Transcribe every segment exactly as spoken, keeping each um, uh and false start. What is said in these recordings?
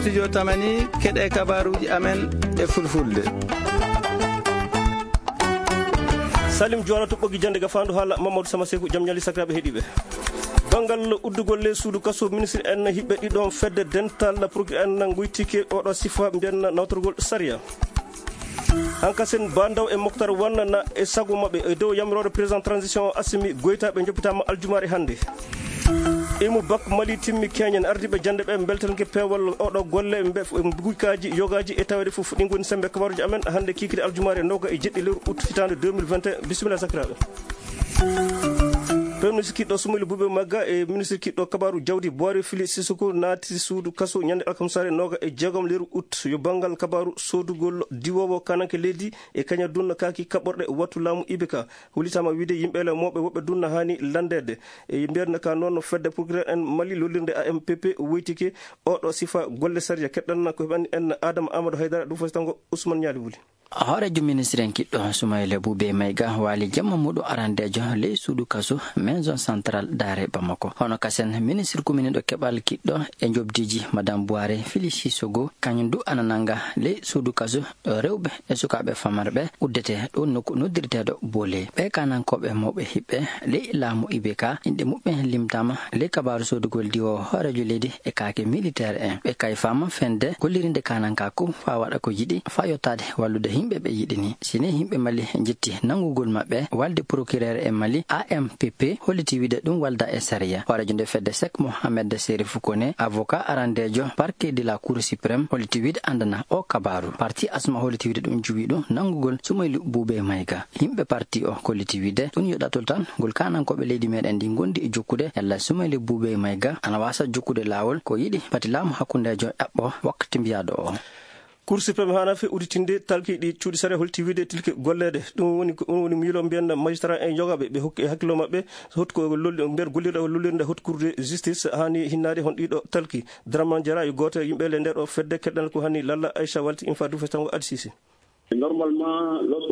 Studio Tamani, keɗe kabaruuji amen e fulfulde. Salim Juwara to ɓoggi jannde gafaandu haala Mamadou Sama Seku, jam ñaali sakiraaɓe heɗiiɓe. Banngal uddugol ley suudu kaso, ministre en hiɓɓe ɗiɗon fedde dental procureur en ngoytike oɗo sifa mbiyen nawtorgol sariya. Hankasen Bandaw e Moktar Wanna na e sago maɓɓe e dow yamiroore président transition Assimi Goyta ɓe joppitaama aljumaare hannde. Imu Bak Mali timmi keñen ardiiɓe jannde ɓe mbeltanke peewal oɗo golle mbe gujkaaji yogaaji e taweede fof. Ɗin ngoni semmbe kabaruuji amen hannde kikiiɗe aljumaare nooga e jeɗɗi lewru août hitaande deux mille vingt et un. Bisimilla sakiraaɓe. Premier ministre kiɗɗo Sumayli Buube Magga e ministre kiɗɗo kabaaru jawdi Boire Fili Sissoko naati suudu kaso ñande alkamsaare nooga e jeegom lewru août. Yo banngal kabaaru soodugol diwoowo kananke leydi e kaña dunna kaaki kaɓorɗe wattu laamu I B K. Hollitaama wiide yimɓe le mawɓe woɓɓe dunna haani lanndeede. E mbiyatnde ka noon fedde procureur en Mali lollirnde A M P P woytike oɗo sifa golle sariya. Keɗɗan ko heɓani en Adama Amadou Haydara ɗum fof tango Ousmane Ñaali Wuli. Hooreejo ministre en kiɗɗo Sumayla Buube Mayga waali jamma muɗum arandeejo ley suudu kaso maison centrale daare Bamako. Hono kasen ministre kuminiiɗo keɓal kiɗɗo e njoɓdiiji Madame Buare Fili Sissoko kañum du ana nannga ley suudu kaso rewɓe e sukaaɓe famarɓe uddete ɗo nokku noddirteeɗo Boole. Ɓee kanankooɓe mawɓe hiɓɓe ley laamu I B K, inɗe muɓɓen limtaama ley kabaaru soodugol diwoowo hooreejo leydi e kaake militeer en. Ɓe kayfaama fende gollirinde kanankaaku faa waɗa ko yiɗi faa yottaade wallude yimɓe ɓe yiɗi ni. Si ni yimɓe Mali njetti nanngugol maɓɓe, walde procureur e Mali, A M P P, holliti wiide ɗum walda e sariya. Hooreejo nde fedde Sek Mohamed Serif Kone, avocat arandeejo parquet de la Cour suprême, holliti wiide anndana o kabaaru. Parti Asma holliti wiide ɗum juwi ɗum nanngugol Sumaylu Buube Mayga. Yimɓe parti o kolliti wiide ɗum yo ɗatul tan ngol kanankooɓe leydi meɗen ndi ngondi e jokkude yalla Sumaylu Buube Mayga ana waasa jokkude laawol ko yiɗi pati laamu hakkundeejo ɗaɓɓo wakkati mbiyaaɗo o. Cour suprême haana fe udditinde talki ɗi cuuɗi sariya holti wiide tilke golleede. Ɗum woni ko, ɗum woni miilo mbiyen magistrat en yogaɓe ɓe hokki e hakkillo maɓɓe. Hottu ko lolli, mbiyen gollirɗe o lollirde hottu cour de justice haani hinnaade hon ɗiɗo talki. Dramane Diarra yo gooto e yimɓe le nde ɗo fedde keɗɗan ko hani lalla Aïcha Walti Infa du festango Adsisi.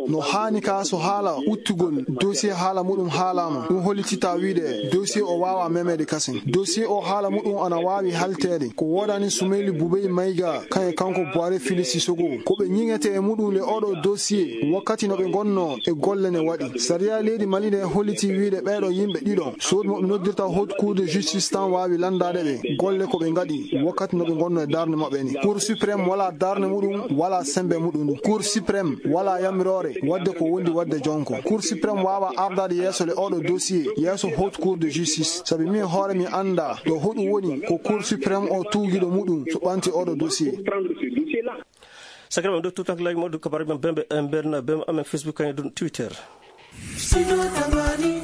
No haani ka so haala uttugol dossier haala muɗum haalaama, ɗum hollitita wiide dossier o waawa memeede kasen. Dossier o haala muɗum ana waawi halteede. Ko woodani Sumeyli Bubey Mayga, kan e kanko Buhari Fili Sisoko. Ko ɓe ñiŋete e muɗum le oɗo dossier, wakkati no ɓe ngonno e golle ne waɗi. Sariya leydi Mali ne holliti wiide ɓeeɗo yimɓe ɗiɗo, sood mo ɓe noddirta Haute Cour de Justice tan waawi lanndaade ɓe golle ko ɓe ngaɗi, wakkati no ɓe ngonno e darnde maɓɓe ni. Cour suprême wala darnde muɗum, wala sembe muɗum. Cour suprême wala yamiroore wadde ko wondi wadde jonko. Cour suprême waawa ardaade yeeso le oɗo dossier, yeeso Haute Cour de Justice. Sabi min hoore mi annda ɗo hoɗum woni ko Cour suprême o tuugiɗo muɗum so ɓanti oɗo dossier. Sakiraɓe ɗo tutak lay moɗo kabar ɓe bembe en berna bem amen Facebook kañum ɗum Twitter.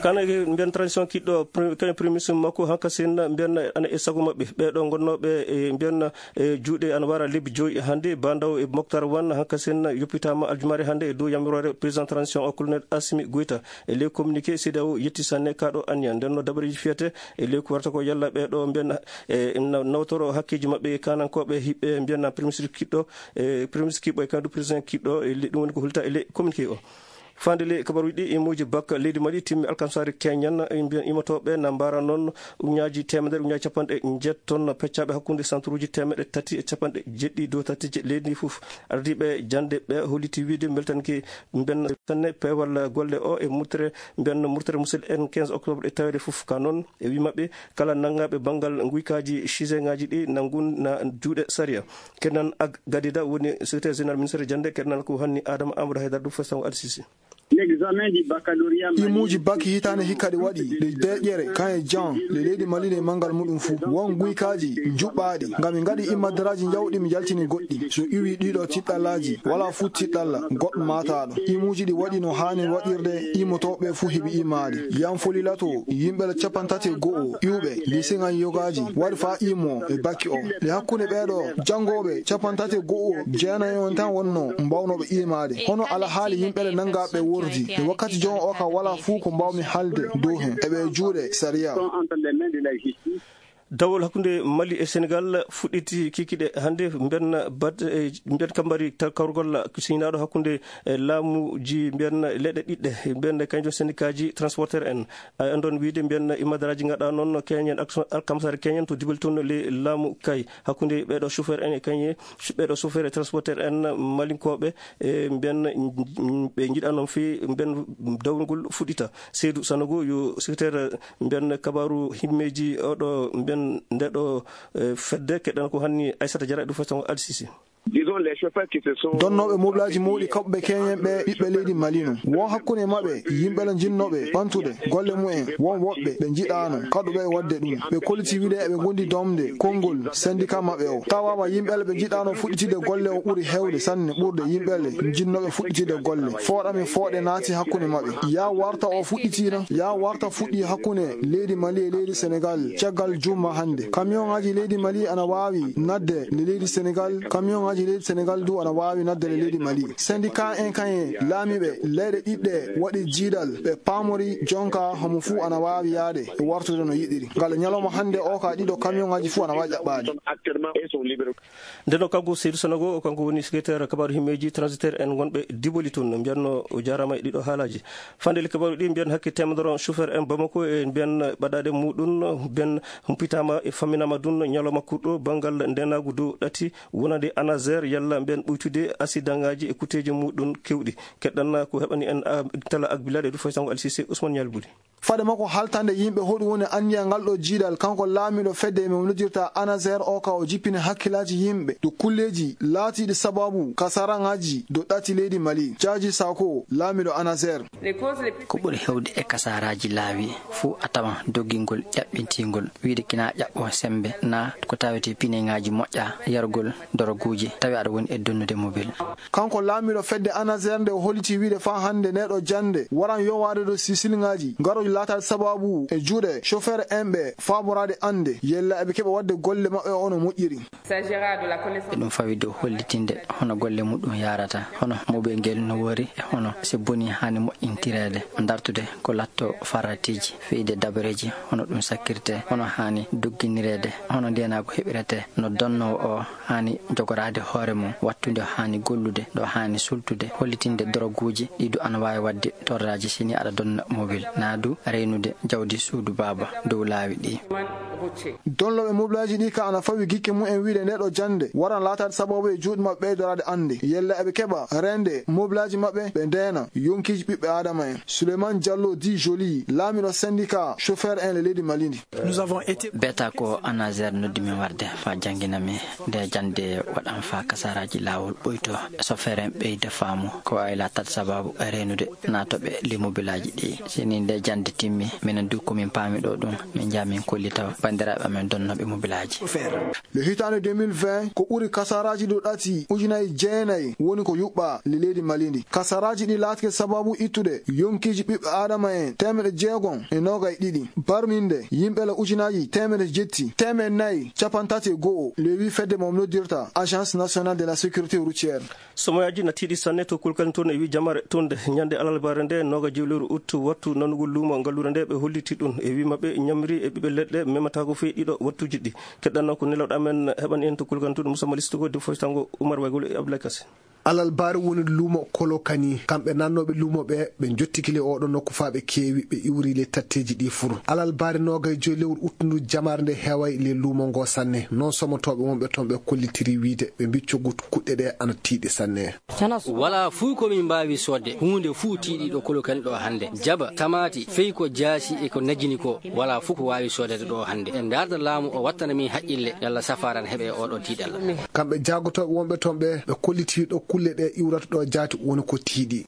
Kana mbiyan transition kiɗɗo pre- kañum premier ministre makko hanka sen mbiyan ana e sago maɓɓe ɓeɗo gonnoɓe e mbiyan e juuɗe ana wara lebbi joyi hannde. Bandaw e Moctar Wan hanka sen yoppitama aljumare hannde e dow yamiroore président transition o colonel Assimi Goïta. E ley communiqué C D A O yetti sanne kaɗo anniya ndenno dabareji fiyete e ley ko warata ko yalla ɓeɗo mbiyan e na- nawtoro hakkeji maɓɓe e kanankoɓe hiɓɓe mbiyan premier ministre kiɗɗo e premier ministre kiɓɓo e kandu président kiɗɗo e le- ɗum woni ko hulta e ley communiqué o. Fande ley kabaruji ɗi imoji bakka leydi Mali timmi alkamsare keñan e mbiyan imotoɓe na mbara noon uñaji temedere uñaji capanɗe jeetton peccaɓe hakkunde centre uji temeɗe tati e capanɗe jeɗɗi dow tati je leydi ndi fof. Ardiɓe jande ɓe holliti wiide beltanki mbenna sanne peewal golle o e murtere mbiyan murtere musidɗo en quinze octobre e tawede fof ka noon e wi maɓɓe kala nanngaɓe banngal nguykaji chisengaji ɗi nanngun na juuɗe sariya. Kenan Ag Gadida woni secrétaire général ministère jande kenan ko hanni Adama Amadou Haydara ɗum fesango Adsisi. Imuuji bak hitaande hikka ɗi waɗi ɗe deeƴere kan e jan ɗe leydi Mali ɗe manngal muɗum fuu won guykaaji njuɓɓaaɗi ngam mi ngaɗi immadaraaji njawɗi mi jaltini goɗɗi so iwi ɗiɗo tiɗɗallaaji wala fuu tiɗɗalla goɗɗo maataaɗo. Imuuji ɗi waɗi no haani waɗirde immotooɓe fuu heɓi imaade yan foli lato yimɓe capantati e go'o iwɓe liseŋan yogaaji waɗi faa imo e bakki o e hakkunde ɓeeɗo janngooɓe capantati e go'o jeenayi on tan wonno mbawnooɓe imaade. Hono alhaali yimɓe le nanngaa ɓe wordi e wakkati jon o ka wala fuu ko mbaawmi haalde dow hen eɓe e juuɗe sariya. Dawol hakkunde Mali e Senegal fuɗɗiti kikiɗe hannde, mbiyen bat-, eh, mbiyen kambari ta-, kawrugol siynaaɗo hakkunde, eh, laamuji, mbiyen leyɗe ɗiɗɗe, mbiyen kañum sendikaaji transporteur en. A anndon wiide mbiyen imadaraaji ngaɗa noon keñen ak-, alkamsare keñen to dibal toon le laamu kay hakkunde ɓeeɗo chauffeur en e kañe, ɓeeɗo chauffeur e transporteur en malinkooɓe, e mbiyen ɓe njiɗa noon fii mbiyen dawol ngol fuɗɗita. Seydou Sanogo yo secrétaire mbiyen kabaaru himmeeji oɗo mbiyen ndeɗo, eh, fedde. Keɗɗen ko hanni Aissata Diarra e ɗum faytongo Alsisi. Disons les chauffeurs qui se sont Donnooɓe mobilaaji mawɗi kaɓɓe keñen ɓe ɓiɓɓe leydi Mali no. Won hakkunde maɓɓe yimɓe la jinnooɓe ɓantude golle mumen. Won woɓɓe ɓe njiɗaano kaɗuɓe e waɗde ɗum. Ɓe kolliti wiide eɓe ngondi domde konngol syndicat maɓɓe o. Tawaama yimɓe la ɓe njiɗaano fuɗɗitide golle o ɓuri heewde sanne ɓurde yimɓe le jinnooɓe fuɗɗitide golle. Fooɗami fooɗe naati hakkunde maɓɓe. Yaa warta o fuɗɗitiino, yaa warta fuɗɗi hakkunde leydi Mali e leydi Senegal caggal juma hannde. Kamiyonŋaaji leydi Mali ana waawi nadde le leydi Senegal, kamiyonŋaaji leydi Senegal du ana waawi nadde le leydi Mali. Syndicat en kañe laamiiɓe leyɗe ɗiɗɗe waɗi jiidal, ɓe paamori jonka homo fuu ana waawi yaade e wartude no yiɗiri. Ngal ñalawma hannde o ka ɗiɗo kamiyonŋaaji fuu ana waawi ƴaɓɓaade. Ndeno kanko Seydou Sanogo, kanko woni secrétaire kabaaru himmeeji transitaire en wonɓe Diboli toon, mbiyanno o jaaraama e ɗiɗo haalaaji. Fande le kabaaru ɗi mbiyan hakke teemedoro chauffeur en Bamako e mbiyan ɓaɗaɗe muɗum, mbiyan humpitaama e famminaama ɗum ñalawma kurɗo banngal ndenaagu dow ɗati wonande Anazer yalla mbiyan ɓuytude asidaŋaaji e kutteeji muɗum kewɗi. Keɗɗan ko heɓani en a-, tala ak bilade du faysango Alsise Ousmane Ñalbuli. Fade makko haltande yimɓe hoɗum woni anniya ngal ɗo jiidal, kanko laamiiɗo fedde mo noddirta Anazer o ka o jippini hakkilaaji yimɓe dow kulleeji laatiiɗi sababu kasaraŋaaji dow ɗati leydi Mali. Jaaji Sako, laamiiɗo Anazer. Ko ɓuri heewde e kasaraaji laawi fuu a tawan doggingol ƴaɓɓintingol, wiide kina ƴaɓɓo sembe na ko tawete pineŋaaji moƴƴa, yargol doroguuji tawi aɗa woni e donnude mobil. Kanko laamiiɗo fedde Anazer nde o holliti wiide faa hannde nde ɗo jannde waran yowaade dow sisilŋaaji garooji laataade sababu e juuɗe chauffeur en ɓe faaboraade annde yella eɓe keɓa waɗde golle maɓɓe o no moƴƴiri. E ɗum fawi dow hollitinde hono golle muɗum yaarata, hono mobil ngel no wori e hono si boni haani moƴƴintireede, dartude ko latto faratiiji, feyde dabareeji hono ɗum sakkirte, hono haani dogginireede, hono ndeenaagu heɓirete, no donnoowo o haani jogoraade hoore mum, wattu nde haani gollude, ɗo haani sultude, hollitinde doroguuji ɗi du ana waawi waɗde torraaji si ni aɗa donna mobil, naa du reynude jawdi suudu baaba dow laawi ɗi. Donnooɓe mobilaaji ɗi ka ana fawi gikke mumen wiide nde ɗo jannde waran laataade sababu e juuɗe maɓɓe ɓeydoraade annde. Yella eɓe keɓa reende mobilaaji maɓɓe ɓe ndeena yonkiiji ɓiɓɓe Aadama en. Souleymane Diallo di Jolie, laamiiɗo syndicat chauffeur en le leydi Mali ndi. Beta ko Anazer noddi min warde faa janngina mi nde jannde waɗan faa kasaraaji laawol ɓoyto. Chauffeur en ɓeyda faamu ko waawi laataade sababu e reenude naatooɓe limobilaaji ɗi. Si ni nde jannde timmi, minen du ko min paami ɗo ɗum, min njaha min kollita banndiraaɓe amen donnooɓe mobilaaji. Le hitaande deux mille vingt, ko ɓuri kasaraaji ɗo ɗati ujunaaji jeenayi woni ko yuɓɓa le leydi Mali ndi. Kasaraaji ɗi laatike sababu ittude yonkiiji ɓiɓɓe Aadama en teemeɗe jeegom e noogay ɗiɗi. Barminde yimɓe la ujunaaji teemeɗe jetti, teemeɗe nayi, capanɗe tati e go'o, le wi fedde mo noddirta Agence Nationale de la Sécurité Routière. Somoyaaji na tiiɗi sanne to Kulkani toon e wi jamare toon nde ñande alarbaare nde nooga jew lewru ut wattu nanugol luumo ngalluure nde ɓe holliti ɗum e wi maɓɓe ñamri e ɓiɓɓe leɗɗe memataako fii ɗiɗo wattuji ɗi. Keɗɗan noon ko nelawɗo amen heɓani en to Kulkani toon Moussa Malisto ko defo tango Oumar Waygol e Abdoulaye Kassé. Alalbaari woni luumo Kolokani. Kamɓe nannooɓe luumo ɓe, ɓe njottiki le oɗo nokku faa ɓe keewi, ɓe iwri le tatteeji ɗi fur. Alalbaari noogay joy lewru uttundu jamaare nde heeway le luumo ngo sanne. Noon somotooɓe wonɓe toon ɓe kollitiri wiide ɓe mbiccogu kuɗɗe ɗe ana tiiɗi sanne. Walaa fuu ko min mbaawi soodde. Huunde fuu tiiɗi ɗo Kolokani ɗo hannde. Jaba, tamaati, fey ko jaasi e ko najini ko. Walaa fuu ko waawi soodede ɗo hannde. En ndaarda laamu o wattana min haqqille, yalla safaara na heɓe e oɗo tiiɗalla. Kamɓe jaagotooɓe wonɓe toon ɓe, ɓe kolliti ɗo kulle ɗe iwrata ɗo jaati woni ko tiiɗi.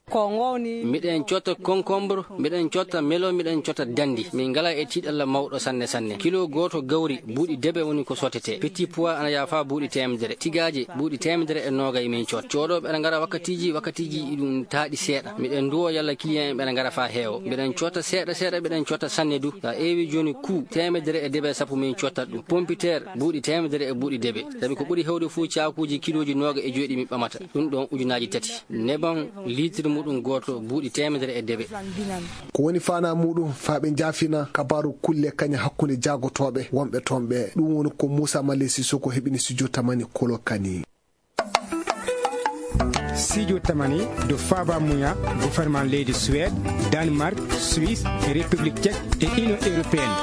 Miɗen cotta concombre, miɗen cotta melo, miɗen cotta dandi. Min ngala e tiiɗalla mawɗo sanne sanne. Kilo gooto gawri, buuɗi debe woni ko sottete. Petit pois ana yaafa buuɗi teemedere. Tigaaje, buuɗi teemedere e noogay min cotta. Cooɗooɓe ana ngara wakkatiiji, wakkatiiji iɗum taaɗi seeɗa. Miɗen nduwo yalla client en ɓe ana ngara faa heewo. Miɗen cotta seeɗa seeɗa, miɗen cotta sanne du. Sa eewi jooni kuu teemedere e debe sappo min cottat ɗum. Pompiteer, buuɗi teemedere e buuɗi debe. Sabi ko ɓuri heewde fuu caakuuji kilooji nooga e joy ɗi min ɓamata. Ɗum ɗo Ɗon ujunaaji tati. Neban liitir muɗum gooto buuɗi teemedere e dewe. Ko woni faanaa muɗum faa ɓe njaafina kabaaru kulle kañe hakkunde jaagotooɓe wonɓe toon ɓe. Ɗum woni ko Muusa Male Sisoko heɓini studio Tamani Kolo Kani. Studio Tamani do Faba Muya, gouvernement leydi Suède, Danemark, Suisse, République Tchèque et Union Européenne.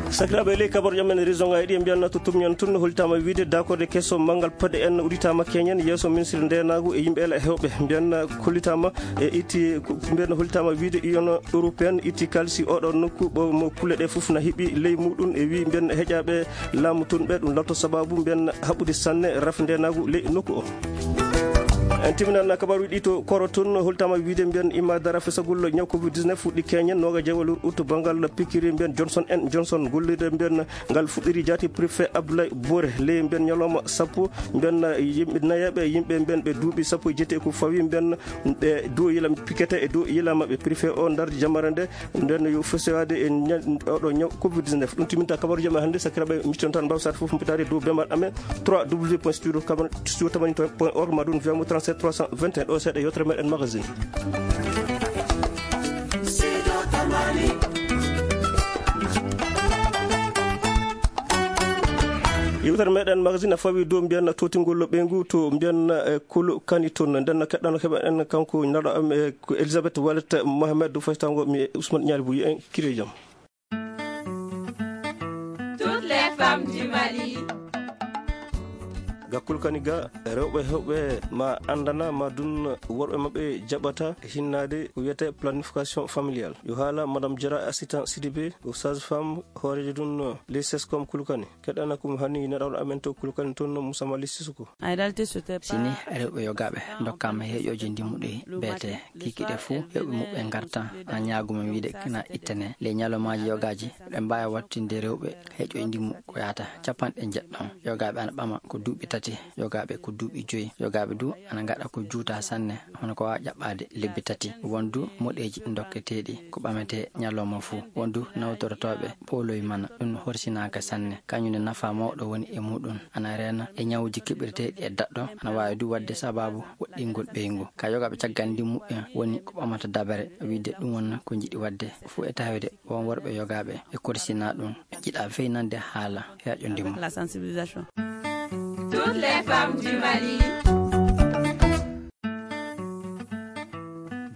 Sakiraaɓe, ley kabaruuji amen région ngaji ɗi, en mbiyanna to tumñen tun, hollitaama wiide dakorde keso manngal paɗe en udditaama keñen yeeso ministre ndeenaagu e yimɓe ela hewɓe. Mbiyanna hollitaama e itti, mbiyanna hollitaama wiide Union Européenne itti kalisi oɗo nokku ɓo mo kulle ɗe fof na hiɓi ley muɗum e wi mbiyanna heƴaaɓe laamu tun ɓe ɗum lalto sababu mbiyanna haɓɓude sanne rafi ndeenaagu ley nokku o. En timminan kabaruuji ɗi to Koro tun, hollitaama wiide mbiyanna imma dara fesagol ñaw covid dix-neuf fuɗɗi keñen noogaji e jeewal ut banngal pikiri mbiyanna Johnson and Johnson gollirde mbiyanna ngal fuɗɗiri jaati préfet Abdoulaye Bore ley mbiyanna ñalawma sappo mbiyanna yimɓe nayaɓe yimɓe mbiyanna ɓe duuɓi sappo e jeetati e ko fawi mbiyanna ɓe dow yila pikete e dow yila maɓɓe préfet o ndardi jamare nde mbiyanna yo fesoyaade e ña-, oɗo ñaw covid dix-neuf. Ɗum timminta kabaruuji amen hannde. Sakiraaɓe, micton tan mbawsat fof mbitaade dow bembaɗ amen trois w point studio tamani point org ma ɗum via mo trente-sept trois cent vingt et un ɗo seeɗa yewtere meɗen magazine. Yewtere meɗen magazine a fawi dow mbiyanna tootingol ɓeyngu to mbiyanna, eh, Kolo Kani toon. Nden keɗɗano keɓa en kanko naɗo am, eh, ko Elisabeth Wallet Mohamed, fayitango mi Ousmane Ñaali Buy en kire jam. Toutes les femmes du Mali. Ga Kolo Kani ga, rewɓe hewɓe ma anndana ma dun worɓe maɓɓe jaɓata hinnaade ko wiyete planification familiale. Yo haala Madame Diarra Assistant Sidibé, o sage-femme hooreejo dun les sescom Kolo Kani. Keɗɗana ko mo hanni neɗɗo amen to Kolo Kani toon Moussa Mali Sissoko. Sini rewɓe yogaaɓe ndokkaama heeƴooji ndimmuɗi beete kikiɗe fuu, heewɓe muɓɓe ngarta ana ñaaguma wiide kina ittane. Ley ñalawmaaji yogaaji, ɓe mbaawi wattinde rewɓe heeƴooji ndimmu ko yaata capanɗe njeɗɗo. Yogaaɓe ana ɓama ko duuɓi tati, yogaaɓe ko duuɓi joyi, yogaaɓe du ana ngaɗa ko juuta sanne, hono ko waawa ƴaɓɓaade lebbi tati. Won du moɗeeji ndokketeeɗi ko ɓametee ñalawma fuu. Won du nawtorotooɓe pooloy mana, ɗum horsinaaka sanne. Kañum ne nafa mawɗo woni e muɗum. Ana reena e ñawuuji keɓirteeɗi e daɗɗo, ana waawi du waɗde sabaabu woɗɗingol ɓeyngu. Ka yogaaɓe caggal ndimmu en woni ko ɓamata dabare, wiide ɗum won ko njiɗi waɗde fuu e tawde won worɓe yogaaɓe e korsina ɗum. Ɓe njiɗa feynande haala heeƴo ndimmu. Toutes les femmes du Mali.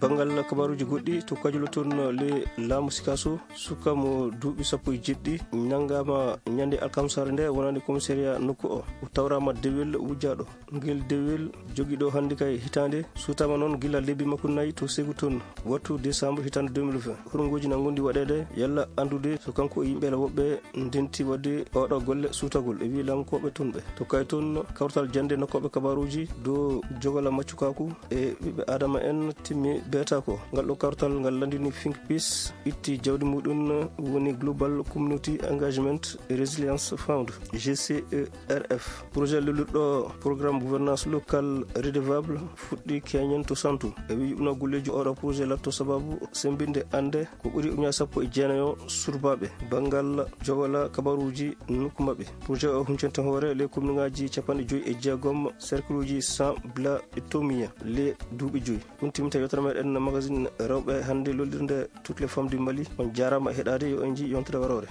Banngal kabaaruuji goɗɗi to Kajolo toon, le laamu Sikaso, suka mo duuɓi sappo e jeɗɗi, nanngaama ñande alkamsaare nde wonande commissariat nokku o. O tawraama dewel wujjaaɗo. Ngel dewel jogiiɗo hannde kay hitaande, suutaama noon gila lebbi makko nayi to Segu toon, wattu décembre hitaande deux mille vingt. Hurngooji na ngondi waɗeede, yalla anndude so kanko e yimɓe woɓɓe ndenti waɗde oɗo golle suutagol e wi laamkooɓe toon ɓe. To kay toon, kawtal jannde nokkooɓe kabaaruuji dow jogola maccukaaku e ɓiɓɓe Aadama en timmi beeta ko. Ngal ɗo kawtal ngal lanndini Think Peace itti jawdi muɗum woni Global Community Engagement Resilience Fund, G C E R F. Projet lullirɗo Programme Gouvernance Locale Redevable fuɗɗi keñen to Santu. E wi yuɓno golleeji oɗo projet latto sababu sembinde annde ko ɓuri uña sappo e jeenayo surbaaɓe banngal jogola kabaruuji nokku maɓɓe. Projet o huncanta hoore le commune ngaji capanɗe joyi e jeegom, cercle uji cent bla e tomiya le duuɓi joyi. Ɗum timminta yewtere meɗen magazine rewɓe hannde lollirde Toutes les femmes du Mali. On jaaraama e heɗaade, yo en nji yontere waroore.